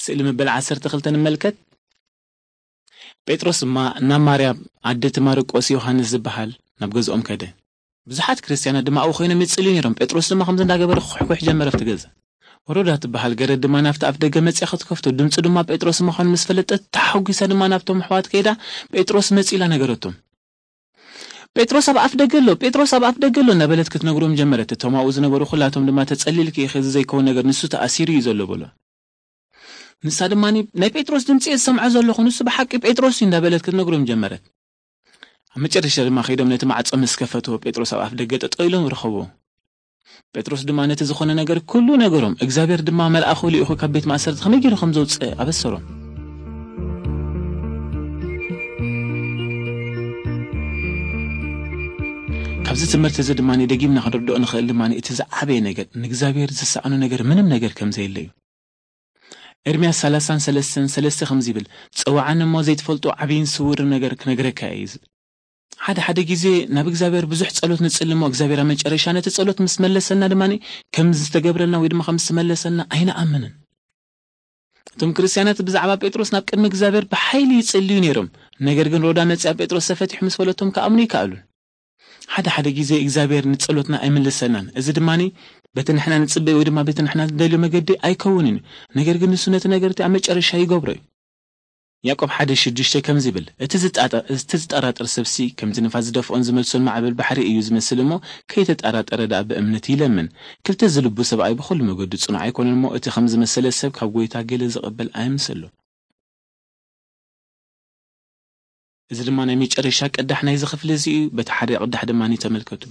ስእሊ መበል ዓሰርተ ክልተ ንመልከት። ጴጥሮስ ድማ ናብ ማርያም ኣደ እቲ ማርቆስ ዮሃንስ ዝበሃል ናብ ገዝኦም ከደ። ብዙሓት ክርስትያናት ድማ ኣብኡ ኮይኖም ይጽልዩ ነይሮም። ጴጥሮስ ድማ ከምዚ እንዳገበረ ኩሕኩሕ ጀመረ ኣብቲ ገዛ። ወሮዳ ትበሃል ገረድ ድማ ናብቲ ኣፍ ደገ መጽያ ክትከፍቶ፣ ድምፂ ድማ ጴጥሮስ ምዃኑ ምስ ፈለጠት፣ ተሓጒሳ ድማ ናብቶም ኣሕዋት ከይዳ፣ "ጴጥሮስ መጺ" ኢላ ነገረቶም። "ጴጥሮስ ኣብ ኣፍ ደገ ኣሎ፣ ጴጥሮስ ኣብ ኣፍ ደገ ኣሎ" እናበለት ክትነግሮም ጀመረት። እቶም ኣብኡ ዝነበሩ ኩላቶም ድማ፣ "ተጸሊልኪ ኢኺ፣ እዚ ዘይከውን ነገር፣ ንሱ ተኣሲሩ እዩ ዘሎ" በሎ። ንሳ ድማ፣ "ናይ ጴጥሮስ ድምፂ እየ ዝሰምዖ ዘለኹ፣ ንሱ ብሓቂ ጴጥሮስ እዩ" እንዳበለት ክትነግሮም ጀመረት። ኣብ መጨረሻ ድማ ከይዶም ነቲ ማዕጾ ምስ ከፈትዎ፣ ጴጥሮስ ኣብ ኣፍ ደገ ጠጠው ኢሎም ረኸብዎ። ጴጥሮስ ድማ ነቲ ዝኾነ ነገር ኩሉ ነገሮም። እግዚኣብሔር ድማ መልኣኹ ልኢኹ ካብ ቤት ማእሰርቲ ከመይ ገይሩ ከም ዘውፅእ ኣበሰሮም። ካብዚ ትምህርቲ እዚ ድማ ደጊምና ክንርድኦ ንኽእል ድማ፣ እቲ ዝዓበየ ነገር፣ ንእግዚኣብሔር ዝሰኣኖ ነገር ምንም ነገር ከም ዘየለ እዩ። ኤርምያስ ሰላሳን ሰለስተን ሰለስተ ከምዚ ይብል፣ "ጸውዓኒ እሞ ዘይትፈልጦ ዓብይን ስውርን ነገር ክነግረካ እየ" ዝብል። ሓደ ሓደ ግዜ ናብ እግዚኣብሔር ብዙሕ ጸሎት ንጽሊ እሞ፣ እግዚኣብሔር ኣብ መጨረሻ ነቲ ጸሎት ምስ መለሰልና ድማ ከም ዝተገብረልና ወይ ድማ ከም ዝተመለሰልና ኣይንኣምንን። እቶም ክርስትያናት ብዛዕባ ጴጥሮስ ናብ ቅድሚ እግዚኣብሔር ብሓይሊ ይጽልዩ ነይሮም። ነገር ግን ሮዳ መጺኣ ጴጥሮስ ተፈቲሑ ምስ በለቶም ክኣምኑ ይከኣሉን። ሓደ ሓደ ግዜ እግዚኣብሔር ንጸሎትና ኣይምልሰልናን። እዚ ድማ በቲ ንሕና ንጽበዮ ወይ ድማ በቲ ንሕና ንደልዮ መገዲ ኣይከውንን እዩ። ነገር ግን ንሱ ነቲ ነገር እቲ ኣብ መጨረሻ ይገብሮ እዩ። ያዕቆብ ሓደ ሽዱሽተ ከምዚ ይብል፣ "እቲ ዝጣጠ-፣ እቲ ዝጠራጠር ሰብሲ ከምቲ ንፋስ ዝደፍኦን ዝመልሶን ማዕበል ባሕሪ እዩ ዝመስል እሞ፣ ከይተጠራጠረ ደኣ ብእምነት ይለምን። ክልተ ዝልቡ ሰብኣይ ብኹሉ መገዱ ጽኑዕ ኣይኮነን እሞ፣ እቲ ከም ዝመሰለ ሰብ ካብ ጐይታ ገለ ዝቕበል ኣይምሰሎ።" እዚ ድማ ናይ መጨረሻ ቅዳሕ ናይዚ ክፍሊ እዚ እዩ። በቲ ሓደ ቅዳሕ ድማ ተመልከቱ።